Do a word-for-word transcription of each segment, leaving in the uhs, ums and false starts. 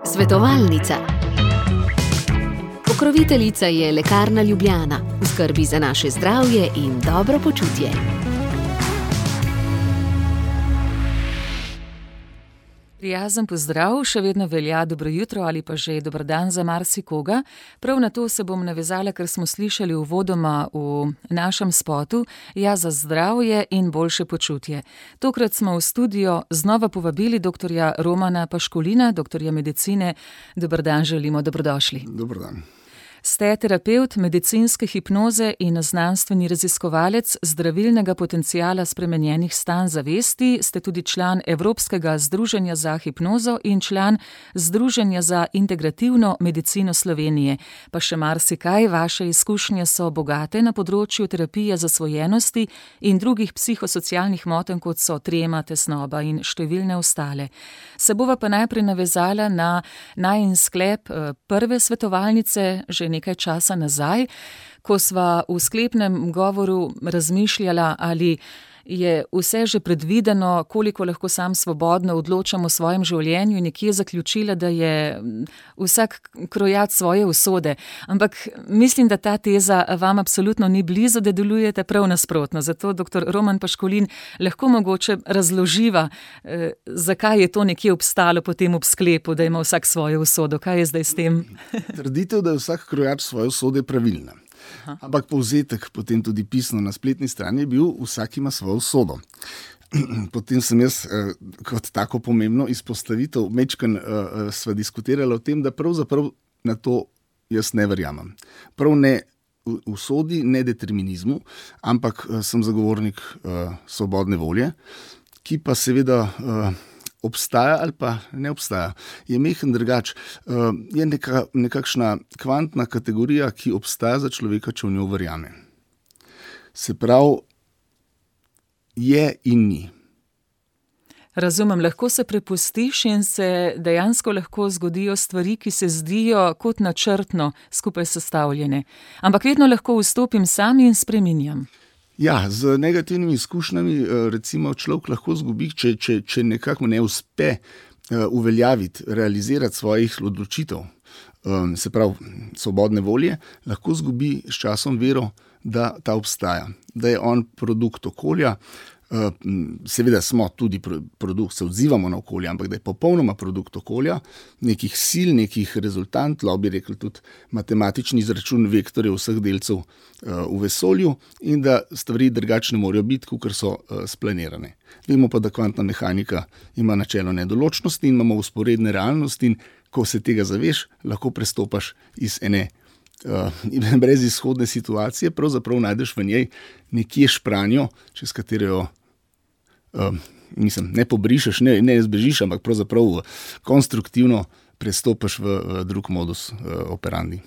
Svetovalnica. Pokroviteljica je Lekarna Ljubljana, v skrbi za naše zdravje in dobro počutje. Prijazen pozdrav, še vedno velja dobro jutro ali pa že dober dan za marsikoga. Prav na to se bom navezala, ker smo slišali uvodoma v našem spotu, ja, za zdravje in boljše počutje. Tokrat smo v studio znova povabili doktorja Romana Paškolina, doktorja medicine. Dober dan želimo, dobrodošli. Dober dan. Ste terapevt medicinske hipnoze in znanstveni raziskovalec zdravilnega potenciala spremenjenih stanj zavesti, ste tudi član Evropskega združenja za hipnozo in član Združenja za integrativno medicino Slovenije. Pa še marsikaj, vaše izkušnje so bogate na področju terapije zasvojenosti in drugih psihosocialnih motenj, kot so trema, tesnoba in številne ostale. Se bova pa najprej navezala na najin sklep prve svetovalnice, že nekaj časa nazaj, ko sva v sklepnem govoru razmišljala, ali je vse že predvideno, koliko lahko sam svobodno odločam o svojem življenju, in nekje zaključila, da je vsak krojat svoje usode. Ampak mislim, da ta teza vam absolutno ni blizu, da delujete prav nasprotno. Zato, doktor Roman Paškolin, lahko mogoče razloživa, eh, zakaj je to nekje obstalo potem ob sklepu, da ima vsak svojo usodo. Kaj je zdaj s tem? Trditev, da je vsak krojač svoje usode, pravilna. Aha. Ampak povzetek potem tudi pisno na spletni strani je bil: vsak ima svojo usodo. Potem sem jaz eh, kot tako pomembno izpostavitev mečken eh, sva diskutirala o tem, da pravzaprav na to jaz ne verjamem. Prav ne usodi, ne determinizmu, ampak eh, sem zagovornik eh, svobodne volje, ki pa seveda eh, obstaja ali pa ne obstaja. Je mehen drugač. Je neka, nekakšna kvantna kategorija, ki obstaja za človeka, če v njo verjame. Se pravi, je in ni. Razumem, lahko se prepustiš in se dejansko lahko zgodijo stvari, ki se zdijo kot načrtno skupaj sestavljene. Ampak vedno lahko vstopim sam in spreminjam. Ja, z negativnimi izkušnjami recimo človek lahko zgubi, če, če, če nekako ne uspe uveljaviti, realizirati svojih odločitev, se pravi svobodne volje, lahko zgubi s časom vero, da ta obstaja, da je on produkt okolja. Seveda smo tudi produkt, se odzivamo na okolje, ampak da je popolnoma produkt okolja, nekih sil, nekih rezultant, lahko bi rekel tudi matematični izračun vektorjev vseh delcev v vesolju, in da stvari drugačne morajo biti, kakor so splanirane. Vemo pa, da kvantna mehanika ima načelo nedoločnosti in imamo vzporedne realnosti, in ko se tega zaveš, lahko prestopaš iz ene Uh, brezizhodne situacije, pravzaprav najdeš v njej nekje špranjo, čez katero uh, mislim, ne pobrišeš, ne, ne zbežiš, ampak pravzaprav konstruktivno prestopaš v, v drug modus uh, operandi.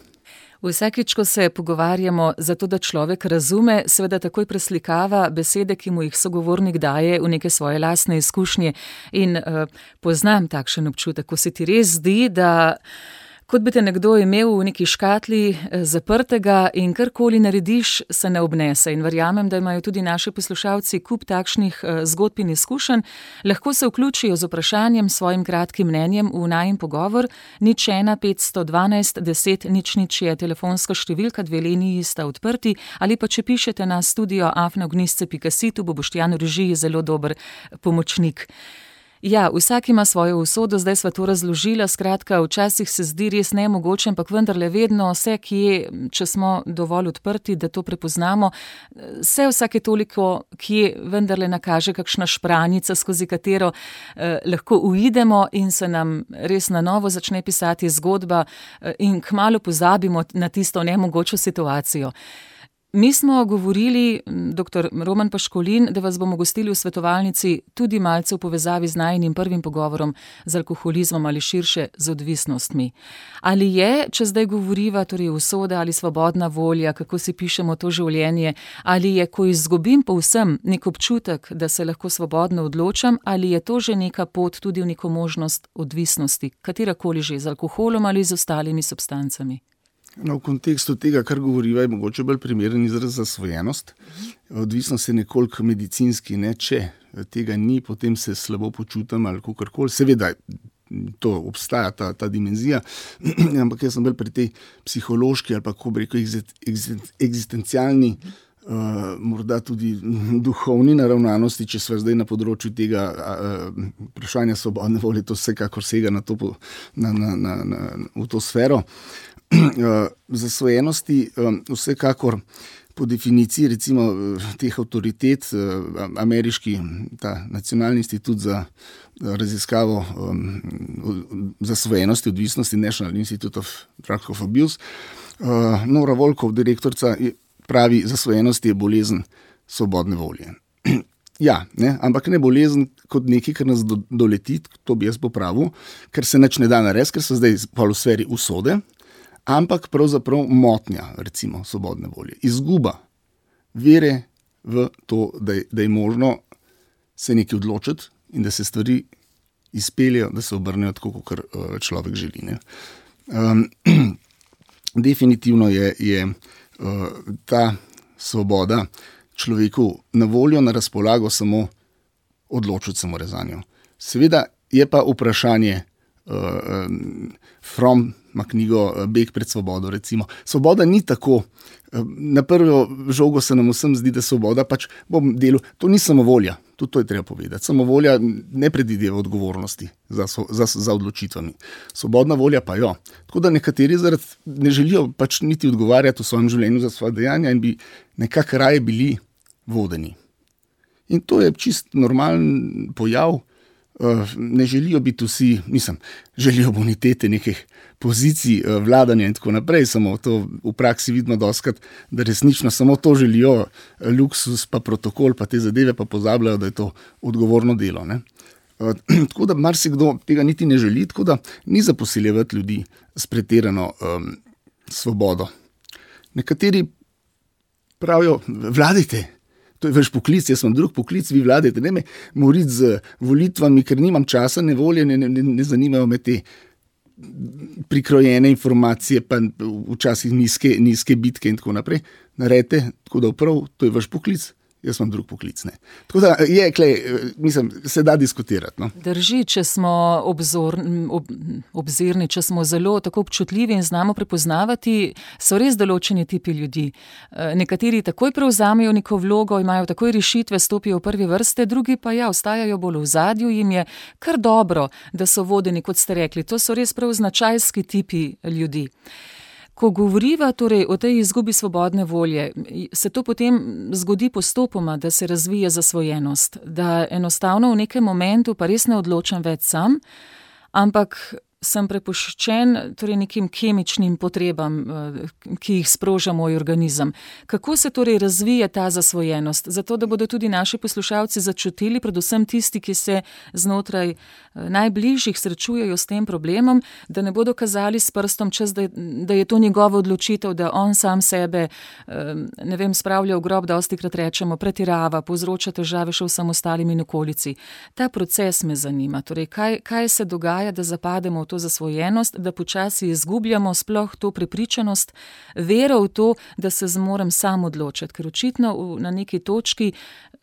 Vsakič, ko se pogovarjamo, zato da človek razume, seveda takoj preslikava besede, ki mu jih sogovornik daje, v neke svoje lastne izkušnje. In uh, poznam takšen občutek, ko se ti res zdi, da kot bi te nekdo imel v neki škatli zaprtega in karkoli narediš, se ne obnese. In verjamem, da imajo tudi naši poslušalci kup takšnih zgodb in izkušenj. Lahko se vključijo z vprašanjem, svojim kratkim mnenjem v najin pogovor. Nič ena petsto dvanajst deset nič nič je telefonska številka, dve liniji sta odprti, ali pa če pišete na studio afna gnizce pika si, tu bo Boštjan v režiji zelo dober pomočnik. Ja, vsak ima svojo usodo, zdaj sva to razložila, skratka, včasih se zdi res nemogoče, ampak vendarle vedno vse, kje, če smo dovolj odprti, da to prepoznamo, se vsake toliko, kje vendarle nakaže kakšna špranjica, skozi katero eh, lahko uidemo in se nam res na novo začne pisati zgodba eh, in kmalu pozabimo na tisto nemogočo situacijo. Mi smo govorili, doktor Roman Paškolin, da vas bomo gostili v svetovalnici tudi malce v povezavi z najinim prvim pogovorom z alkoholizmom ali širše z odvisnostmi. Ali je, če zdaj govoriva, torej usoda ali svobodna volja, kako si pišemo to življenje, ali je, ko izgubim povsem nek občutek, da se lahko svobodno odločam, ali je to že neka pot tudi v neko možnost odvisnosti, katerakoli že, z alkoholom ali z ostalimi substancami? No, v kontekstu tega, kar govoriva, je mogoče bolj primeren izraz zasvojenost. Odvisnost je nekoliko medicinski, ne? Če tega ni, potem se slabo počutim ali kakorkoli. Seveda, to obstaja, ta, ta dimenzija, ampak jaz sem bolj pri tej psihološki ali pa, kako bi rekel, eksistencialni, uh, morda tudi duhovni naravnanosti, če sva zdaj na področju tega uh, vprašanja svobodne volje, to vsekakor sega na to, na, na, na, na, v to sfero. Uh, zasvojenosti um, vsekakor po definiciji recimo teh avtoritet, uh, ameriški ta nacionalni institut za raziskavo um, zasvojenosti, odvisnosti, National Institute of Drug Abuse, uh, Nora Volkov, direktorica, pravi, zasvojenost je bolezen svobodne volje. Ja, ne, ampak ne bolezen kot nekaj, kar nas do, doleti, to bi jaz popravil, ker se nič ne da narediti, ker so zdaj v sferi usode, ampak pravzaprav motnja, recimo, svobodne volje. Izguba vere v to, da je, da je možno se nekaj odločiti in da se stvari izpeljejo, da se obrnejo tako, kot človek želi. Ne. Um, definitivno je, je uh, ta svoboda človeku na voljo, na razpolago samo odločiti samo rezanjo. Seveda je pa vprašanje uh, um, from ima knjigo Beg pred svobodo, recimo. Svoboda ni tako. Na prvo žogo se nam vsem zdi, da svoboda pač bom delal. To ni samovolja, tudi to je treba povedati. Samovolja ne predvideva odgovornosti za, za, za odločitvami. Svobodna volja pa jo. Tako da nekateri zaradi ne želijo pač niti odgovarjati v svojem življenju za svoje dejanja in bi nekako raje bili vodeni. In to je čist normalen pojav. Ne želijo biti vsi, mislim, želijo bonitete nekih pozicij, vladanja in tako naprej, samo to v praksi vidimo dostikrat, da resnično samo to želijo, luksus pa protokol pa te zadeve pa pozabljajo, da je to odgovorno delo. Ne? Tako da marsikdo tega niti ne želi, tako da ni za posiljevati ljudi s pretirano um, svobodo. Nekateri pravijo, vladajte. To je vaš poklic, jaz imam drug poklic, vi vladajte, ne me moriti z volitvami, ker nimam časa, ne volje, ne, ne, ne zanimajo me te prikrojene informacije, pa včasih nizke, nizke bitke in tako naprej. Naredite, tako da prav, to je vaš poklic, jaz imam drug poklic. Ne. Tako da je, klej, mislim, se da diskutirati. No. Drži, če smo obzor, ob, obzirni, če smo zelo tako občutljivi in znamo prepoznavati, so res določeni tipi ljudi. Nekateri takoj prevzamejo neko vlogo, imajo takoj rešitve, stopijo v prvi vrste, drugi pa ja, ostajajo bolj v zadju, jim je kar dobro, da so vodeni, kot ste rekli. To so res prav značajski tipi ljudi. Ko govoriva torej o tej izgubi svobodne volje, se to potem zgodi postopoma, da se razvije zasvojenost, da enostavno v nekem momentu pa res ne odločam več sam, ampak sem prepuščen torej nekim kemičnim potrebam, ki jih sproža moj organizem. Kako se torej razvije ta zasvojenost? Zato, da bodo tudi naši poslušalci začutili, predvsem tisti, ki se znotraj najbližjih srečujejo s tem problemom, da ne bodo kazali s prstom čez, da, da je to njegova odločitev, da on sam sebe, ne vem, spravlja v grob, dostikrat rečemo, pretirava, povzroča težave še vsem ostalim in okolici. Ta proces me zanima. Torej, kaj, kaj se dogaja, da zapademo v to zasvojenost, da počasi izgubljamo sploh to prepričanost, vero v to, da se zmorem sam odločiti, ker očitno na neki točki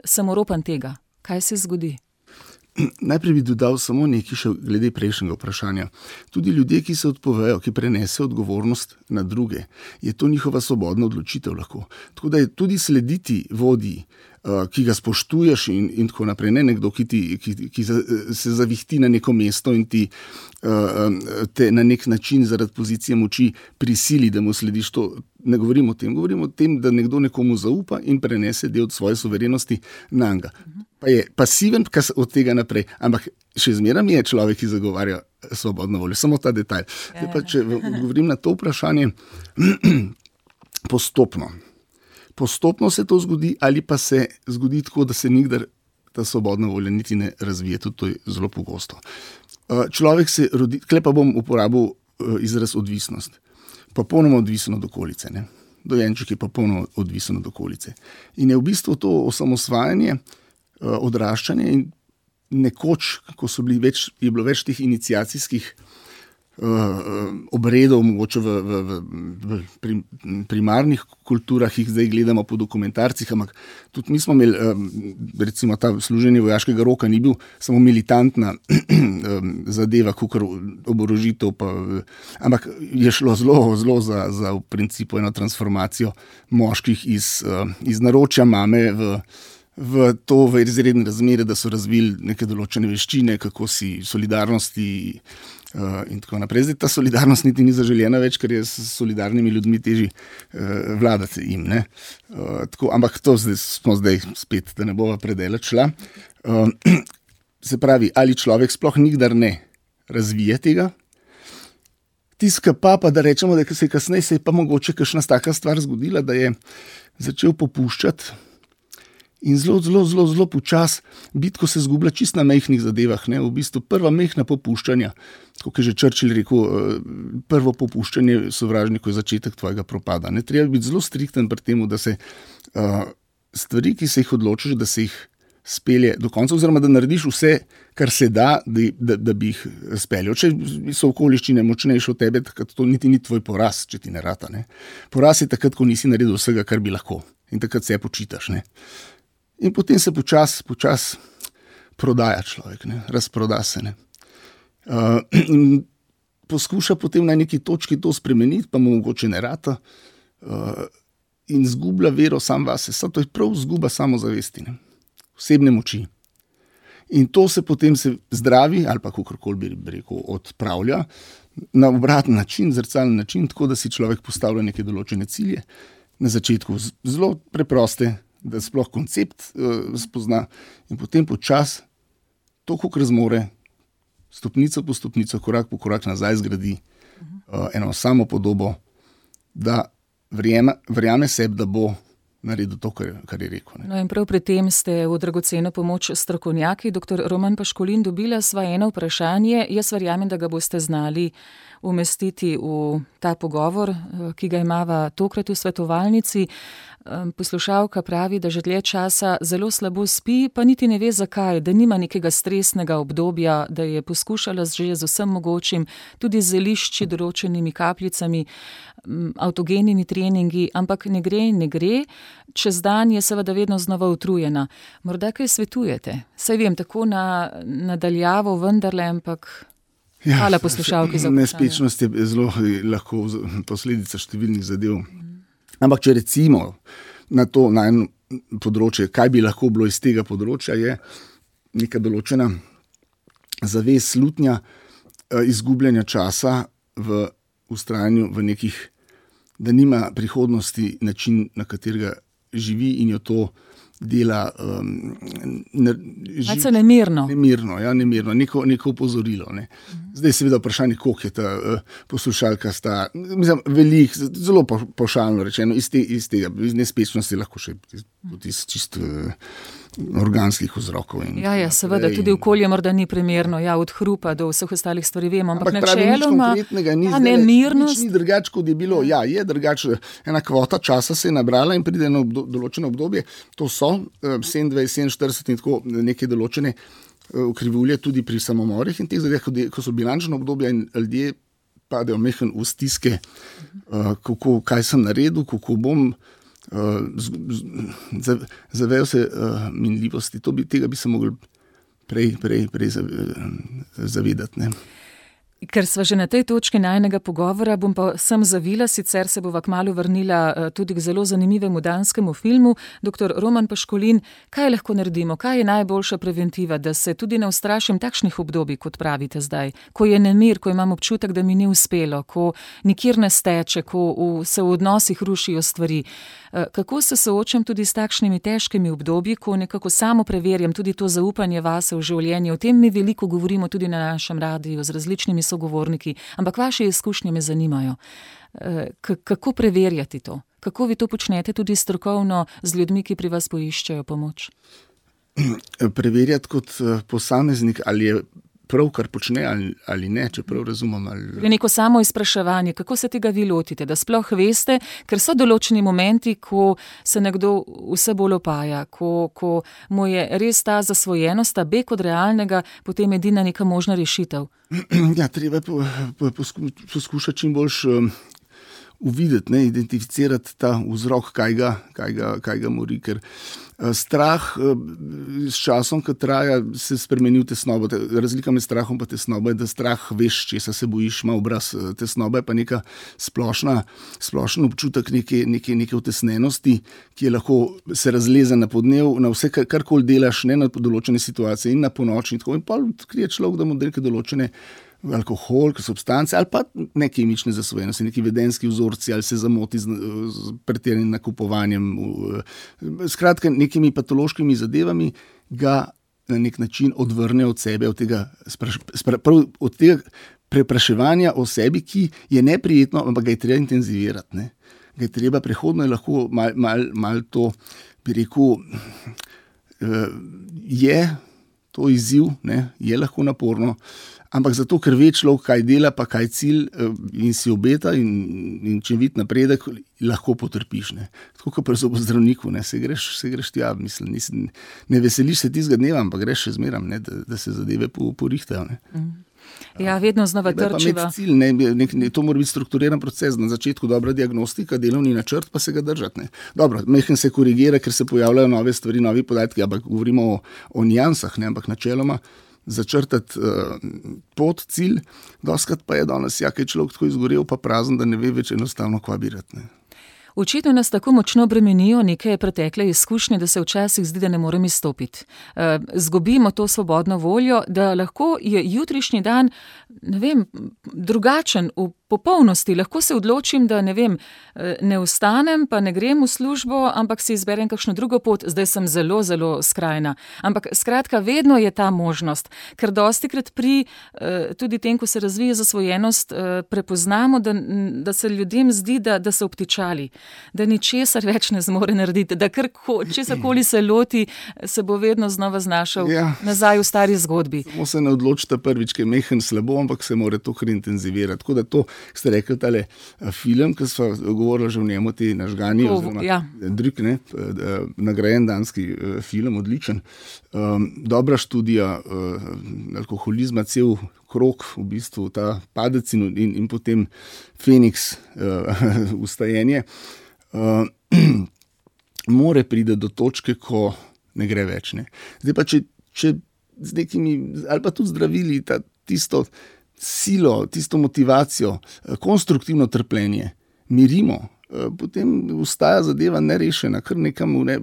sem oropan tega. Kaj se zgodi? Najprej bi dodal samo nekaj še glede prejšnjega vprašanja. Tudi ljudje, ki se odpovejo, ki prenesejo odgovornost na druge, je to njihova svobodna odločitev lahko. Tako da je tudi slediti vodji, ki ga spoštuješ in, in tako naprej, ne nekdo, ki, ti, ki, ki se zavihti na neko mesto in ti te na nek način zaradi pozicije moči prisili, da mu slediš. To ne govorimo o tem, govorimo o tem, da nekdo nekomu zaupa in prenese del svoje suverenosti na njega. Pa je pasiven od tega naprej, ampak še zmeraj je človek, ki zagovarja svobodno voljo. Samo ta detajl. Zdaj pa, če odgovorim na to vprašanje, postopno. Postopno se to zgodi ali pa se zgodi tako, da se nikdar ta svobodna volja niti ne razvije. Tudi to je zelo pogosto. Človek se rodi, tukaj pa bom uporabil izraz odvisnost. Popolnoma odvisen od okolice. Ne? Dojenček je popolnoma odvisen od okolice. In je v bistvu to osamosvajanje, odraščanje in nekoč, ko so bili več, je bilo več teh iniciacijskih obredov, mogoče v, v, v, v primarnih kulturah, jih zdaj gledamo po dokumentarcih, ampak tudi mi smo imeli, recimo ta služenje vojaškega roka ni bil samo militantna zadeva, kakor oborožitev, pa, ampak je šlo zelo, zelo za, za v principu eno transformacijo moških iz, iz naročja mame v v to v izredne razmere, da so razvili neke določene veščine, kako si solidarnosti uh, in tako naprej. Zdaj ta solidarnost niti ni zaželjena več, ker je s solidarnimi ljudmi težji uh, vladati jim. Ne? Uh, tako, ampak to zdaj, smo zdaj spet, da ne bova predaleč šla. Uh, se pravi, ali človek sploh nikdar ne razvije tega, tiska pa, pa da rečemo, da se je kasneje se je pa mogoče kakšna taka stvar zgodila, da je začel popuščati in zelo, zelo, zelo, zelo počas bitko se zgublja čist na mehnih zadevah. Ne? V bistvu prva mehna popuščanja, kot je že Churchill rekel, prvo popuščanje sovražniku je začetek tvojega propada. Ne? Treba biti zelo strikten pri temu, da se uh, stvari, ki se jih odločiš, da se jih spelje do konca, oziroma da narediš vse, kar se da, da, da, da bi jih speljal. Če so okoliščine močnejše od tebe, takrat to niti ni tvoj poraz, če ti ne rata. Ne? Poraz je takrat, ko nisi naredil vsega, kar bi lahko. In takrat se počitaš. Ne? In potem se počas, počas prodaja človek, ne? Razproda se. Ne? Uh, in poskuša potem na neki točki to spremeniti, pa mu mogoče ne rata uh, in zgublja vero sam vase. To je prav zguba samozavesti, ne? Osebne moči. In to se potem se zdravi, ali pa kakorkoli bi rekel, odpravlja na obraten način, zrcalen način, tako da si človek postavlja neke določene cilje. Na začetku zelo preproste, da sploh koncept uh, spozna in potem počas to, koliko razmore, stopnico po stopnico, korak po korak nazaj zgradi uh, eno samo podobo, da verjame, verjame sebi, da bo naredil to, kar, kar je rekel. Ne. No in prav pri tem ste v dragoceno pomoč strokovnjaki. Doktor Roman Paškolin, dobila sva eno vprašanje. Jaz verjamem, da ga boste znali umestiti v ta pogovor, ki ga imava tokrat v svetovalnici. Poslušalka pravi, da že dlje časa zelo slabo spi, pa niti ne ve zakaj, da nima nekega stresnega obdobja, da je poskušala že z vsem mogočim, tudi z zelišči, določenimi kapljicami, avtogenimi treningi, ampak ne gre in ne gre. Čez dan je seveda vedno znova utrujena. Morda kaj svetujete? Saj vem, tako na nadaljavo vendarle, ampak ja, hvala poslušalki za vprašanje. Nespečnost je zelo lahko posledica številnih zadev. Ampak če recimo na to na eno področje, kaj bi lahko bilo iz tega področja, je neka določena zavest slutnja, izgubljanja časa v vztrajanju v nekih, da nima prihodnosti način, na katerega živi in jo to dela um, ne, živ, nemirno. Nemirno, ja, nemirno, neko, neko opozorilo. Ne. Zdaj seveda vprašanje, koliko je ta uh, poslušalka sta, mislim, velik, zelo po, pošalno rečeno, iz, te, iz tega, iz nespečnosti lahko še tudi iz čist uh, organskih vzrokov. In, ja, ja, seveda, in, tudi okolje morda ni primerno, ja, od hrupa do vseh ostalih stvari vemo, ampak, ampak načeloma, ni, ta nemirnost. Nič ni drugač, kot je bilo, ja, je drugač, ena kvota časa se je nabrala in pride na obdo, določeno obdobje, to so sedemindvajset, sedeminštirideset in tako neke določene krivulje tudi pri samomorih in teh zadeh, ko so bilančno obdobja in ljudje padejo mehen v stiske, kako, kaj sem naredil, kako bom, zavejo se minljivosti, to bi, tega bi se mogli prej, prej, prej zavedati, ne. Ker sva že na tej točki najnega pogovora, bom pa sem zavila, sicer se bova kmalu vrnila tudi k zelo zanimivemu danskemu filmu. Doktor Roman Paškolin, kaj lahko naredimo, kaj je najboljša preventiva, da se tudi ne ustrašim takšnih obdobij, kot pravite zdaj, ko je nemir, ko imam občutek, da mi ni uspelo, ko nikjer ne steče, ko v, se v odnosih rušijo stvari. Kako se soočam tudi s takšnimi težkimi obdobji, ko nekako samo preverjam tudi to zaupanje vase v življenje. O tem mi veliko govorimo tudi na našem radiju z različnimi sogovorniki, ampak vaše izkušnje me zanimajo. K- kako preverjati to? Kako vi to počnete tudi strokovno z ljudmi, ki pri vas poiščejo pomoč? Preverjati kot posameznik, ali je prav, kar počne ali, ali ne, če prav razumem. Ali... Neko samo izpraševanje, kako se tega vi lotite, da sploh veste, ker so določeni momenti, ko se nekdo vse bolj opaja, ko, ko mu je res ta zasvojenost, ta beg od realnega, potem edina neka možna rešitev. Ja, treba je po, po, posku, poskušati čim boljš um, uvideti, ne, identificirati ta vzrok, kaj ga, kaj ga, kaj ga mori, ker uh, strah uh, s časom, ko traja, se spremeni v tesnobo. Razlika med strahom pa tesnobo je, da strah veš, česa se bojiš, ima obraz. Tesnoba je pa neka splošna, splošen občutek neke, neke, neke utesnenosti, ki je lahko se razleze na podnev, na vse, kar, karkoli delaš, ne na določene situacije in na ponoči in tako. In pol odkrije človek, da mu neke določene alkohol, substance ali pa ne kemične zasvojenosti, neki vedenski vzorci ali se zamoti z, z pretiranim nakupovanjem. Skratka, nekimi patološkimi zadevami ga na nek način odvrne od sebe, od tega, spraš, spra, prav, od tega prepraševanja o sebi, ki je neprijetno, ampak ga je treba intenzivirati. Ne? Ga je treba, prehodno je lahko mal, mal, mal to, bi rekel, je to izziv, ne? Je lahko naporno, ampak zato, ker ve človek, kaj dela, pa kaj cilj in si obeta in, in če vidi napredek, lahko potrpiš. Ne. Tako kot pri zobozdravniku, ne, se greš, se greš tja, mislim, nisem, ne veseliš se tistega dneva, ampak greš še zmeram, ne, da, da se zadeve porihtajo. Ne. Ja, vedno znova trčiva. Cilj, ne, nek, ne, to mora biti strukturiran proces, na začetku dobra diagnostika, delovni načrt, pa se ga držati. Ne. Dobro, mehen se korigira, ker se pojavljajo nove stvari, novi podatki, ampak govorimo o, o nijansah, ne, ampak načeloma začrtati uh, pot, cilj, doskrat pa je danes, ja, kaj človek tako izgorel, pa prazen, da ne ve več enostavno kva birati. Ne. Očitno nas tako močno bremenijo neke pretekle izkušnje, da se včasih zdi, da ne morem izstopiti. Uh, zgubimo to svobodno voljo, da lahko je jutrišnji dan, ne vem, drugačen v popolnosti. Lahko se odločim, da ne vem, ne vstanem, pa ne grem v službo, ampak si izberem kakšno drugo pot. Zdaj sem zelo, zelo skrajna. Ampak skratka, vedno je ta možnost, ker dostikrat pri tudi tem, ko se razvije zasvojenost, prepoznamo, da, da se ljudem zdi, da, da so obtičali, da ničesar več ne zmore narediti, da kar česarkoli se loti, se bo vedno znova znašel ja. nazaj v stari zgodbi. Samo se ne odločite prvič, ki je mehen slabo, ampak se mora to kar intenzivirati. Tako da to ste rekli, tale film, ki smo govorili že v njemu, ti nažgani, oziroma ja. Drik, ne, nagrajen danski film, odličen. Um, dobra študija uh, alkoholizma, cel krog, v bistvu ta padec in, in, in potem Feniks, uh, ustajenje. Uh, more pride do točke, ko ne gre več. Ne. Zdaj pa, če, če z nekimi, ali pa tudi zdravili, ta, tisto silo, tisto motivacijo, konstruktivno trpljenje, mirimo, potem ostaja zadeva nerešena, kar nekam ne,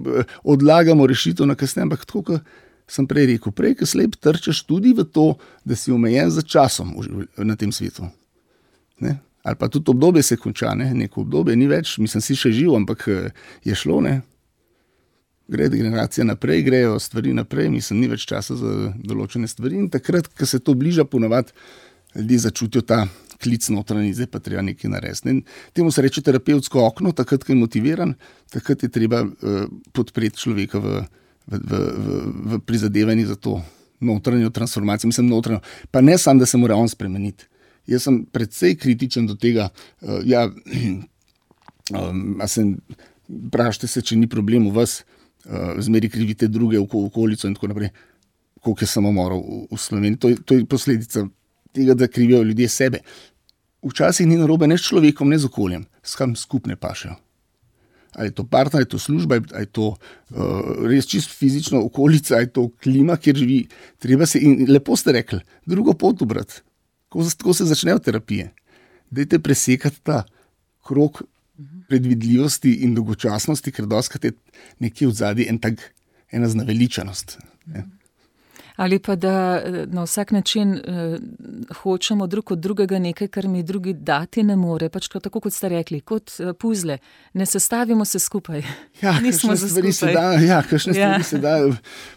odlagamo rešitev na kasneje, ampak tako, kot sem prej rekel, prej, ko slep trčeš tudi v to, da si omejen za časom na tem svetu. Ne? Ali pa tudi obdobje se konča, ne? Neko obdobje ni več, mislim, si še živ, ampak je šlo, ne? Gre generacija naprej, grejo stvari naprej, mislim, ni več časa za določene stvari in takrat, ko se to bliža, ponavadi ljudje začutijo ta klic notranji, zdaj pa treba nekaj narediti. Temu se reče terapevtsko okno, takrat, ko je motiviran, takrat je treba uh, podpreti človeka v, v, v, v, v prizadevanji za to notranjo transformacijo. Mislim, notranjo, pa ne samo, da se mora on spremeniti. Jaz sem predvsej kritičen do tega, uh, ja, um, a se vprašajte se, če ni problem v vas, uh, zmeri krivite druge v okolico in tako naprej, koliko je samomorov v, v Sloveniji. To je, to je posledica tega, da krivijo ljudje sebe. Včasih ni narobe ne s človekom, ne z okoljem, s kam skupne pašejo. Ali je to partner, ali je to služba, ali je to uh, res čisto fizično okolica, ali je to klima, kjer živi. Treba se, in lepo ste rekli, drugo pot ubrati. Tako se začnejo terapije. Dajte presekati ta krog predvidljivosti in dolgočasnosti, ker doskrat je nekje v zadnji en tak, ena znaveličanost. Ne? Ali pa da na vsak način uh, hočemo drug od drugega nekaj, kar mi drugi dati ne more. Pač tako, kot ste rekli, kot uh, puzle. Ne sestavimo se skupaj. Ja, kakšne stvari se da, ja, kakšne ja. stvari se da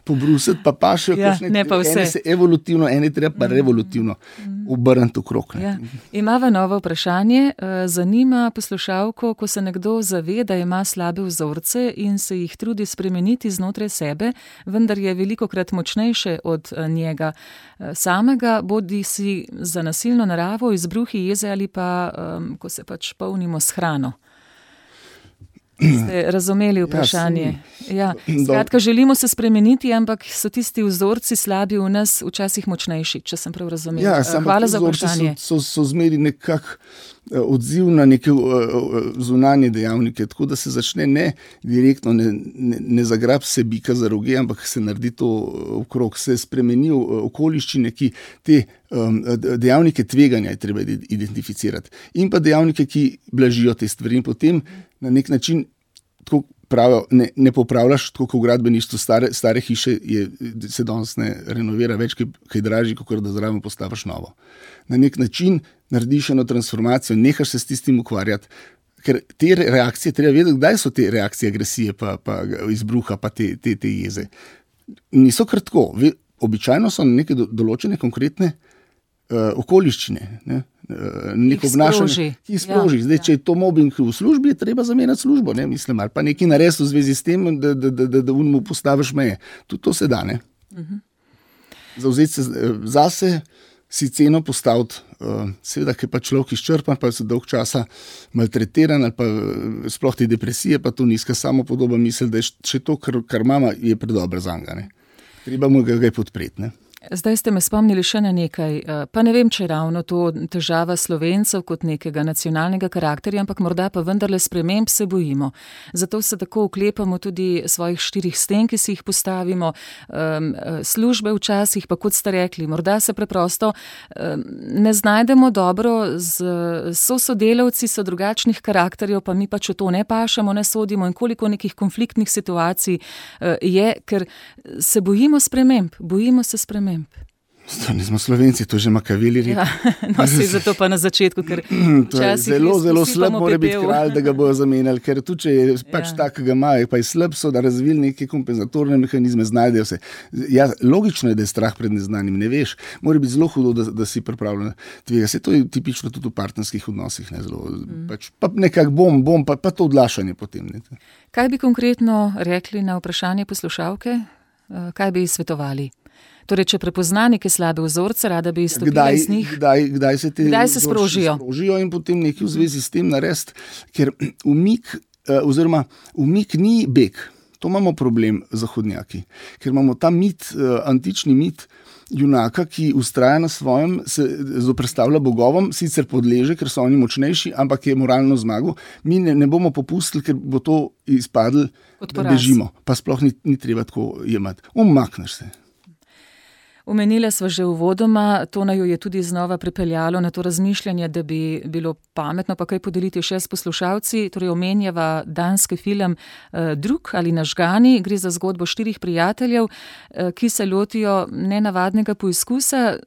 pobrusiti, pa pašejo, ja, kakšne ne pa vse. Ene se evolutivno, ene treba pa revolutivno. Mm. obrniti okrog. Ja. Imava novo vprašanje. Zanima poslušalko, ko se nekdo zave, da ima slabe vzorce in se jih trudi spremeniti znotraj sebe, vendar je velikokrat močnejše od njega samega, bodi si za nasilno naravo, izbruhi jeze ali pa, ko se pač polnimo s hrano. Ste razumeli vprašanje? Ja, skratka, želimo se spremeniti, ampak so tisti vzorci slabi v nas včasih močnejši, če sem prav razumel. Ja, hvala za vprašanje. So, so, so zmeri nekak odziv na neke zunanje dejavnike, tako da se začne ne direktno, ne, ne, ne zagrab se bika za roge, ampak se naredi to okrog, se spremenijo okoliščine, ki te um, dejavnike tveganja je treba identificirati in pa dejavnike, ki blažijo te stvari in potem na nek način tako pravijo, ne, ne popravljaš, tako kot v gradbeništvu stare, stare hiše je, se danes ne renovira več, kaj dražji, kot da zraven postaviš novo. Na nek način narediš eno transformacijo, nehaš se s tistim ukvarjati, ker te reakcije, treba vedeti, kdaj so te reakcije agresije, pa, pa izbruha, pa te, te, te jeze. Niso kar tako. Običajno so neke določene konkretne uh, okoliščine, ne? Neko obnašanje, ki sproži. Ja, Zdaj, ja. Če je to mobbing v službi, je treba zamenjati službo, ne, mislim, ali pa nekaj narediti v zvezi s tem, da, da, da, da, da mu postaviš meje. Tudi to se da, ne. Uh-huh. Zavzeti se zase, si ceno postaviti, uh, seveda, ker pa človek izčrpan, pa se dolg časa maltretiran, ali pa sploh te depresije, pa to nizka samopodoba misli, da je še to, kar, kar mama, je predobra zanga, ne. Treba mu ga, ga je podpreti, ne. Zdaj ste me spomnili še na nekaj, pa ne vem, če je ravno to težava Slovencev kot nekega nacionalnega karakterja, ampak morda pa vendarle sprememb se bojimo. Zato se tako oklepamo tudi svojih štirih sten, ki si jih postavimo, službe včasih, pa kot ste rekli, morda se preprosto ne znajdemo dobro, z sosodelavci so drugačnih karakterjev, pa mi pač v to ne pašamo, ne sodimo in koliko nekih konfliktnih situacij je, ker se bojimo sprememb, bojimo se sprememb. To nismo Slovenci, to že Makaveli rekel. Ja, no si zato pa na začetku, ker včasih zelo, zelo slab mora biti kralj, da ga bojo zamenjali, ker tudi, če je pač ja. takega imajo, pa je slab, so da razvili neke kompenzatorne mehanizme, znajdejo se. Ja, logično je, da je strah pred neznanim, ne veš. Mora biti zelo hudo, da, da si pripravljen tvega. Se to je tipično tudi v partnerskih odnosih, ne zelo. Mm. Pač, pa nekak bom, bom, pa, pa to odlašanje potem. Ne. Kaj bi konkretno rekli na vprašanje poslušalke? Kaj bi svetovali? Torej, če prepozna neke slabe vzorce, rada bi izstopila iz njih. Kdaj, kdaj se te kdaj se sprožijo? sprožijo in potem nekaj v zvezi s tem narediti, ker umik, oziroma umik ni beg. To imamo problem zahodnjaki, ker imamo ta mit, antični mit junaka, ki ustraja na svojem, se zoperstavlja bogovom, sicer podleže, ker so oni močnejši, ampak je moralno zmagal. Mi ne, ne bomo popustili, ker bo to izpadlo, da bežimo. Pa sploh ni, ni treba tako jemati. Umakneš se. Omenila sva že uvodoma, to naju je tudi znova pripeljalo na to razmišljanje, da bi bilo pametno pa kaj podeliti še s poslušalci. Torej omenjava danski film eh, Drug ali Nažgani. Gre za zgodbo štirih prijateljev, eh, ki se lotijo nenavadnega poizkusa,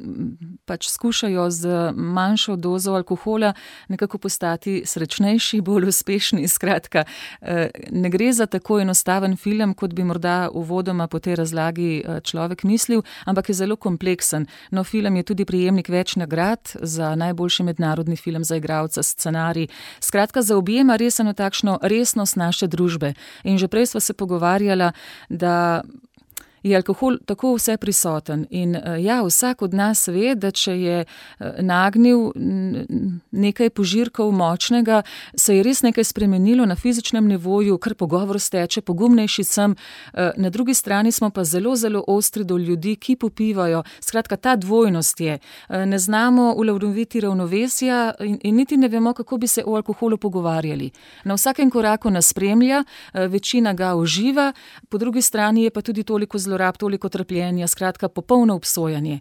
pač skušajo z manjšo dozo alkohola nekako postati srečnejši, bolj uspešni. Skratka, eh, ne gre za tako enostaven film, kot bi morda uvodoma po tej razlagi eh, človek mislil, ampak je zelo kompleksen. No, film je tudi prejemnik več nagrad za najboljši mednarodni film za igralca, scenarij. Skratka, zaobjema res eno takšno resnost naše družbe. In že prej sva se pogovarjala, da je alkohol tako vse prisoten. In ja, vsak od nas ve, da če je nagnil nekaj požirkov močnega, se je res nekaj spremenilo na fizičnem nivoju, kar pogovor steče, pogumnejši sem. Na drugi strani smo pa zelo, zelo ostri do ljudi, ki popivajo. Skratka, ta dvojnost je. Ne znamo uloviti ravnovesja in, in niti ne vemo, kako bi se o alkoholu pogovarjali. Na vsakem koraku nas spremlja, večina ga uživa, po drugi strani je pa tudi toliko zelo rab, toliko trpljenja, skratka popolno obsojanje.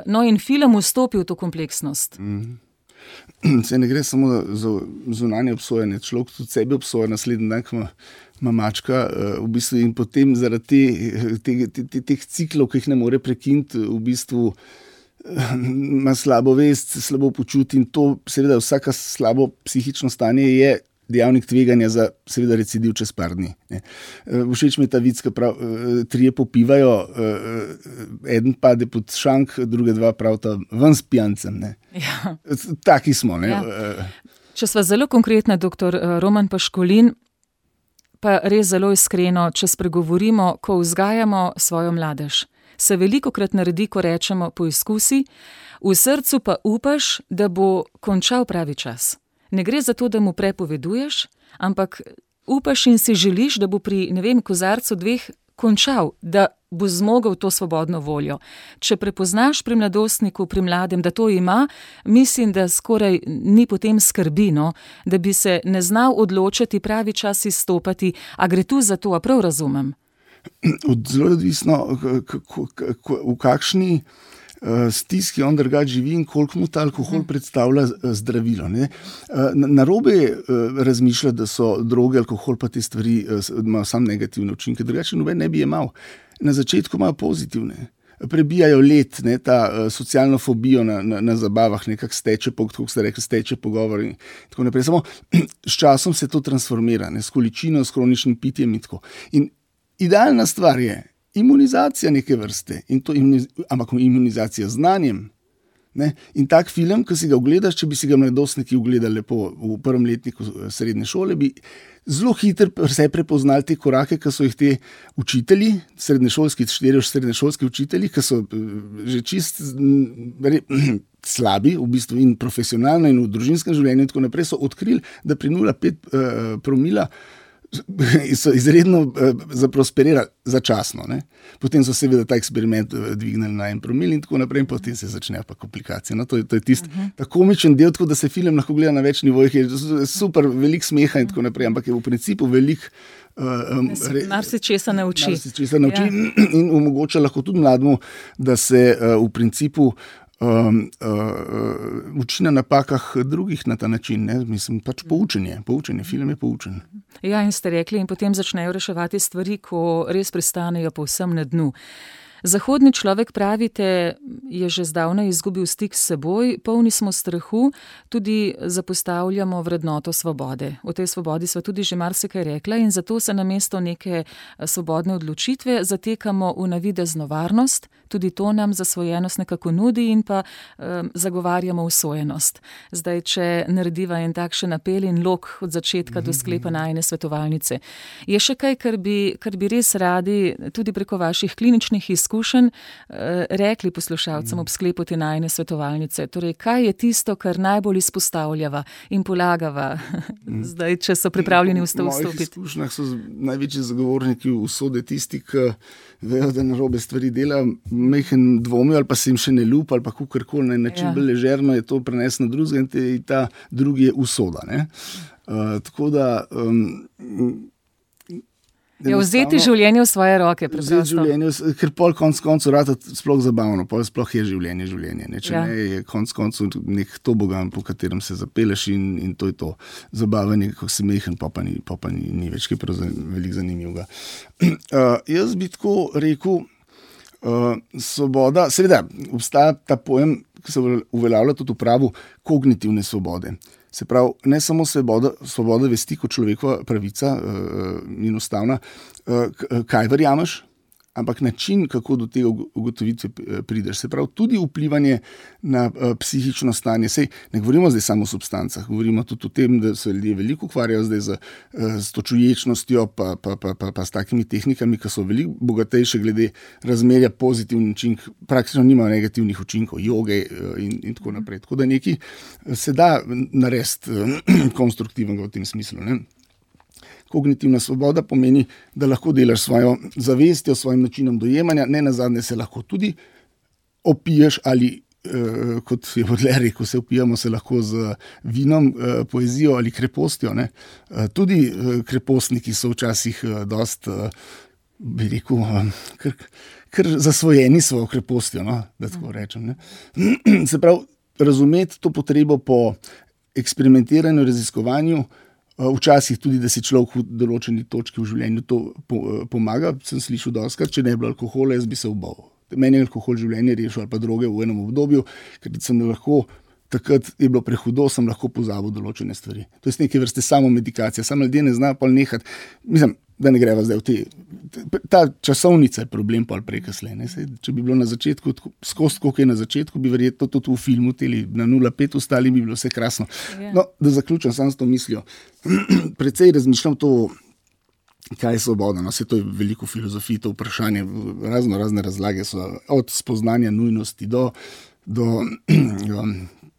No in film vstopi v to kompleksnost. Mm. Se ne gre samo za zunanje obsojanje, človek tudi sebi obsoja naslednji dan, ko ima mačka, v bistvu in potem zaradi te, te, te, te, teh ciklov, ki jih ne more prekiniti, v bistvu ima slabo vest, slabo počuti in to seveda vsaka slabo psihično stanje je dejavnik tveganja za seveda recidiv čez par dni. Ne. Všeč mi je ta vic, ki prav, trije popivajo, eden pade pod šank, druge dva pravta ven s pijancem. Ne. Ja. Taki smo. Ne. Ja. Če sva zelo konkretna, doktor Roman Paškolin, pa res zelo iskreno, če spregovorimo, ko vzgajamo svojo mladež, se velikokrat naredi, ko rečemo poizkusi, v srcu pa upaš, da bo končal pravi čas. Ne gre za to, da mu prepoveduješ, ampak upaš in si želiš, da bo pri, ne vem, kozarcu dveh končal, da bo zmogel to svobodno voljo. Če prepoznaš pri mladostniku, pri mladem, da to ima, mislim, da skoraj ni potem skrbi, no, da bi se ne znal odločiti, pravi čas izstopati, a gre tu za to, a prav razumem? Zelo odvisno, v kakšni stiski on drugače živi in koliko mu ta alkohol predstavlja zdravilo. Ne? Narobe razmišlja, da so droge, alkohol pa te stvari imajo samo negativne učinke, drugače noben ne bi jemal. Na začetku imajo pozitivne. Prebijajo let, ne, ta socialno fobijo na, na, na zabavah, nekako steče, kako ste rekli, steče pogovor in tako naprej. Samo s časom se to transformira, ne, s količino, s kroničnim pitjem in tako. In idealna stvar je imunizacija neke vrste, in to imuniz, ampak imunizacija z znanjem. Ne? In tak film, ki si ga ogledaš, če bi si ga mladostniki ogledali lepo v prvem letniku srednje šole, bi zelo hitro vse prepoznali te korake, ki so jih te učitelji, srednješolski, štiri srednješolski učitelji, ki so že čist slabi, v bistvu in profesionalno in v družinskem življenju in tako naprej, so odkrili, da pri nula celih pet uh, promila so izredno zaprosperirali začasno. Ne? Potem so seveda ta eksperiment dvignili na en promil in tako naprej in potem se začnejo pa komplikacije. No, to je, to je tisti uh-huh. ta komičen del, tako da se film lahko gleda na več nivojih, je super, veliko smeha in tako naprej, ampak je v principu veliko um, Mar se česa nauči. Mar se česa nauči ja. In omogoča lahko tudi mladmu, da se uh, v principu Um, uh, uči na napakah drugih na ta način, ne? Mislim, pač poučenje, poučenje, film je poučen. Ja, in ste rekli, in potem začnejo reševati stvari, ko res pristanejo povsem na dnu. Zahodni človek, pravite, je že zdavnaj izgubil stik s seboj, polni smo strahu, tudi zapostavljamo vrednoto svobode. O tej svobodi sva tudi že marsikaj rekla in zato se namesto neke svobodne odločitve zatekamo v navidezno varnost, tudi to nam zasvojenost nekako nudi in pa um, zagovarjamo usojenost. Zdaj, če narediva en takšen apel in lok od začetka do sklepa najine svetovalnice, je še kaj, kar bi, kar bi res radi tudi preko vaših kliničnih izkušenj uh, rekli poslušalcem ob sklepu te najine svetovalnice? Torej, kaj je tisto, kar najbolj izpostavljava in polagava zdaj, če so pripravljeni v to vstopiti? V mojih izkušnjah so največji zagovorniki usode tisti, ki vejo, da narobe stvari dela, mehen dvomijo ali pa se jim še ne ljubi ali pa kakorkoli na način ja. bolj ležerno je to prenes na drugega in te, ta drugi je usoda. Ne? Uh, tako da um, je vzeti življenje v svoje roke. Vzeti življenje, ker pol konc koncu rata sploh zabavno, pol sploh je življenje življenje. Ne? Če ja. ne, je konc koncu nek tobogan, po katerem se zapeleš in, in to je to. Zabavanje, kako se mehen, pa pa ni, pa pa ni, ni več, ki je prav veliko zanimivega. Uh, jaz bi tako rekel, uh, svoboda, seveda, obstaja ta pojem, ki se uveljavlja tudi v pravu kognitivne svobode. Se pravi, ne samo svoboda, svoboda vesti kot človekova pravica uh, in ustavna, uh, kaj verjameš, ampak način, kako do tega ugotovitve prideš. Se pravi, tudi vplivanje na uh, psihično stanje. Sej, ne govorimo zdaj samo o substancah, govorimo tudi o tem, da se ljudje veliko ukvarjajo zdaj z, uh, z to čuječnostjo, pa, pa, pa, pa, pa s takimi tehnikami, ki so veliko bogatejše glede razmerja pozitivnih učinkov, praktično nimajo negativnih učinkov, joge uh, in, in tako naprej. Tako da nekaj se da narediti uh, konstruktivnega v tem smislu, ne? Kognitivna svoboda pomeni, da lahko delaš svojo zavestjo, svojim načinom dojemanja, ne nazadnje se lahko tudi opiješ ali, eh, kot je Baudelaire rekel, se opijamo se lahko z vinom, eh, poezijo ali krepostjo. Ne? Eh, tudi eh, krepostniki so včasih eh, dost, eh, bi rekel, eh, kar, kar zasvojeni svojo krepostjo, no? Da tako rečem. Ne? Se pravi, razumeti to potrebo po eksperimentiranju, raziskovanju, včasih tudi, da si človek v določeni točki v življenju to pomaga. Sem slišal dostikrat, če ne bi bilo alkohola, jaz bi se ubal. Meni je alkohol življenje rešil ali pa droge v enem obdobju, ker sem lahko takrat je bilo prehudo, sem lahko pozabil določene stvari. To je neke vrste samo medikacija, samo ljudje ne znajo pol nehati. Mislim, da ne greva zdaj v te. Ta časovnica je problem pol prej kasneje. Ne? Sej, če bi bilo na začetku, skozi koliko je na začetku, bi verjetno tudi v filmu teli na nula pet ostali, bi bilo vse krasno. Yeah. No, da zaključim sam s to mislijo. Precej razmišljam to, kaj je svoboda. No, vse to je veliko filozofij, to vprašanje, razno razne razlage so od spoznanja nujnosti do, do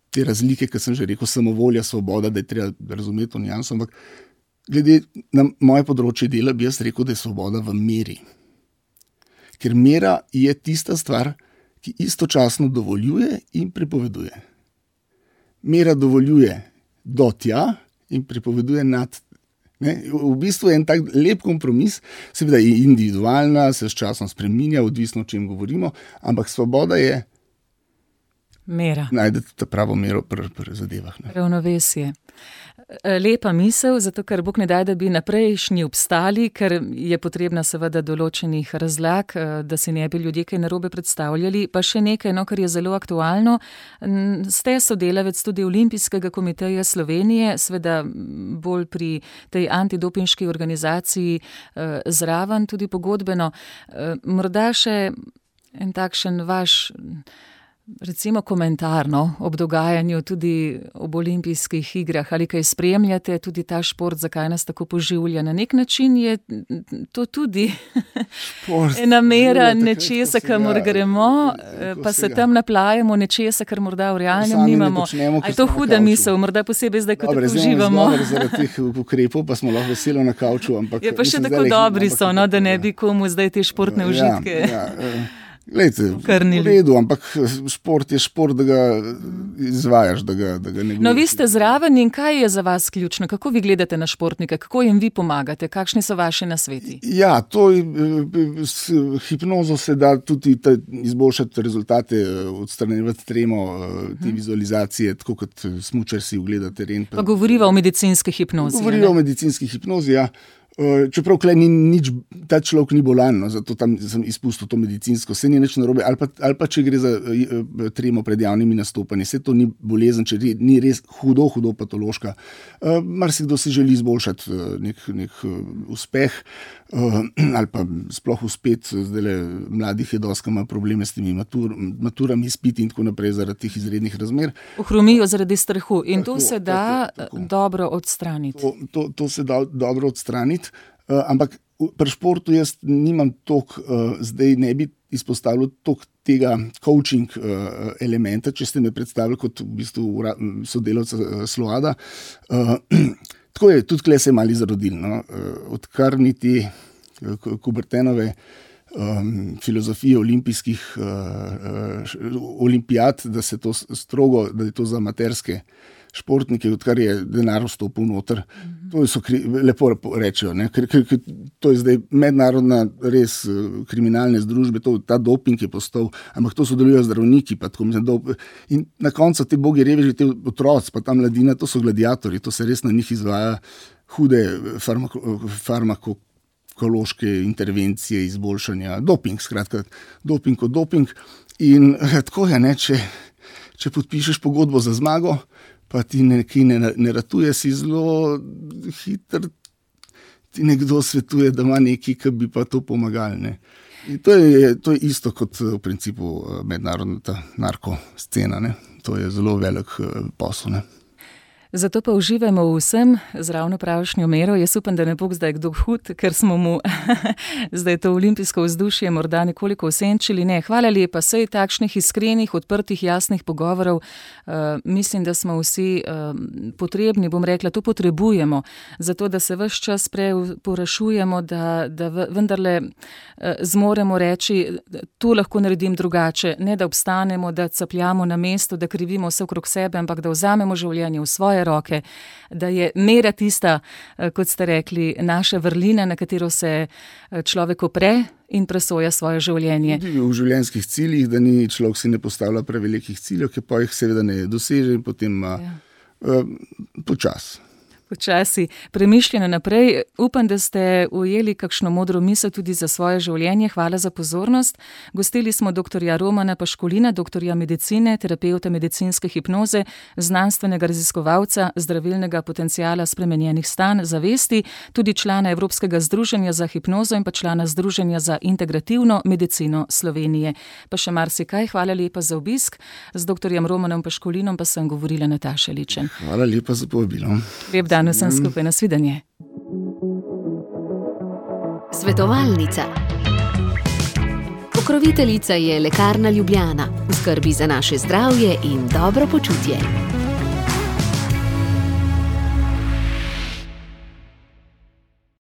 te razlike, ki sem že rekel, samovolja, svoboda, da je treba razumeti to nijanso, ampak glede na moje področje dela bi jaz rekel, da je svoboda v meri. Ker mera je tista stvar, ki istočasno dovoljuje in prepoveduje. Mera dovoljuje do tja in prepoveduje nad. Ne? V bistvu je en tak lep kompromis, seveda je individualna, se s časom spreminja, odvisno o čem govorimo, ampak svoboda je mera. Najdete ta pravo mero pri, pri zadevah. Ne? Ravnovesje. Lepa misel, zato ker Bog ne daj, da bi naprejšnji obstali, ker je potrebna seveda določenih razlag, da si ne bi ljudje kaj narobe predstavljali. Pa še nekaj, no, kar je zelo aktualno. Ste sodelavec tudi Olimpijskega komiteja Slovenije, seveda bolj pri tej antidopinški organizaciji zraven, tudi pogodbeno. Morda še en takšen vaš recimo komentarno ob dogajanju tudi ob olimpijskih igrah, ali kaj spremljate, tudi ta šport, zakaj nas tako poživlja. Na nek način je to tudi ena mera nečesa, kamor gremo, pa se tam naplajamo nečesa, kar morda v realnem nimamo. A je to huda misel, morda posebej zdaj, ko tako uživamo. Dobre, zaradi teh ukrepov pa smo lahko veselo na kavču. Ampak, je pa še tako dobri so, no, da ne bi komu zdaj te športne užitke. Ja, ja, Glejte, v redu, ampak šport je šport, da ga izvajaš, da ga, da ga ne gledaš. No, vi ste zraven in kaj je za vas ključno? Kako vi gledate na športnike? Kako jim vi pomagate? Kakšni so vaši nasveti? Ja, to s hipnozo se da tudi ta, izboljšati rezultate, odstranjevati tremo, te hmm. vizualizacije, tako kot smučar si ogleda teren. Pa govoriva o medicinski hipnozi. Govoriva o medicinski hipnozi, ja. Čeprav klej ni nič, ta človek ni bolan, no, zato tam sem izpustil to medicinsko, se ni nič narobe, ali pa, ali pa če gre za uh, tremo pred javnimi nastopanji, se to ni bolezen, če ni res hudo, hudo patološka. Uh, marsikdo si želi izboljšati uh, nek, nek uh, uspeh, uh, ali pa sploh uspet, zdajle mladih je dosti, ima probleme s temi matur, maturami, izpiti in tako naprej zaradi teh izrednih razmer. Ohromijo zaradi strahu in tako, to se da tako, tako. dobro odstraniti. To, to, to se da dobro odstraniti. Uh, ampak pri športu jaz nimam toliko, uh, zdaj ne bi izpostavil toliko tega coaching uh, elementa, če ste me predstavili kot v bistvu sodelavca uh, Sloada. Uh, tako je, tudi tukaj se je mali zarodil, no? uh, odkar niti uh, Kubertenove um, filozofije olimpijskih uh, uh, olimpijad, da se to strogo, da je to za amaterske športnike, odkar je denar vstopil noter. Mm-hmm. To so kri, lepo rečejo, ne? Ker, ker, ker to je zdaj mednarodna res kriminalne združbe, to, ta doping je postal, ampak to sodelujo zdravniki. Pa tako, mislim, do, in na koncu te bogi reveži, te otroci, pa ta mladina, to so gladiatorji, to se res na njih izvaja hude farmako, farmakološke intervencije, izboljšanja, doping, skratka, doping kot doping. In tako je, ne, če, če podpišeš pogodbo za zmago, pa ti nekaj ne, ne ratuje, si zelo hiter, ti nekdo svetuje, da ima nekaj, ki bi pa to pomagali. Ne. In to je, to je isto kot v principu mednarodna ta narkoscena. Ne. To je zelo velik posel. Ne. Zato pa uživamo v vsem z ravno pravšnjo mero. Jaz upam, da ne bo zdaj kdo hud, ker smo mu zdaj to olimpijsko vzdušje morda nekoliko osenčili. Ne, hvala lepa, sej takšnih iskrenih, odprtih, jasnih pogovorov. Uh, mislim, da smo vsi uh, potrebni, bom rekla, to potrebujemo, zato da se ves čas preporašujemo, da, da vendarle uh, zmoremo reči, to lahko naredim drugače. Ne, da obstanemo, da capljamo na mesto, da krivimo vse okrog sebe, ampak da vzamemo življenje v svoje roke, da je mera tista, kot ste rekli, naša vrlina, na katero se človek opre in presoja svoje življenje. V življenjskih ciljih, da ni človek si ne postavlja prevelikih ciljev, ki pa jih seveda ne doseže in potem ima ja. uh, počas. počasi premišljeno naprej. Upam, da ste ujeli kakšno modro misel tudi za svoje življenje. Hvala za pozornost. Gostili smo doktorja Romana Paškolina, doktorja medicine, terapeuta medicinske hipnoze, znanstvenega raziskovalca zdravilnega potenciala spremenjenih stanj zavesti, tudi člana Evropskega združenja za hipnozo in pa člana Združenja za integrativno medicino Slovenije. Pa še marsikaj. Hvala lepa za obisk. Z doktorjem Romanom Paškolinom pa sem govorila Nataša Ličen. Hvala lepa za povabilo. Lep dan vsem skupaj, nasvidenje. Svetovalnica. Pokroviteljica je Lekarna Ljubljana. V skrbi za naše zdravje in dobro počutje.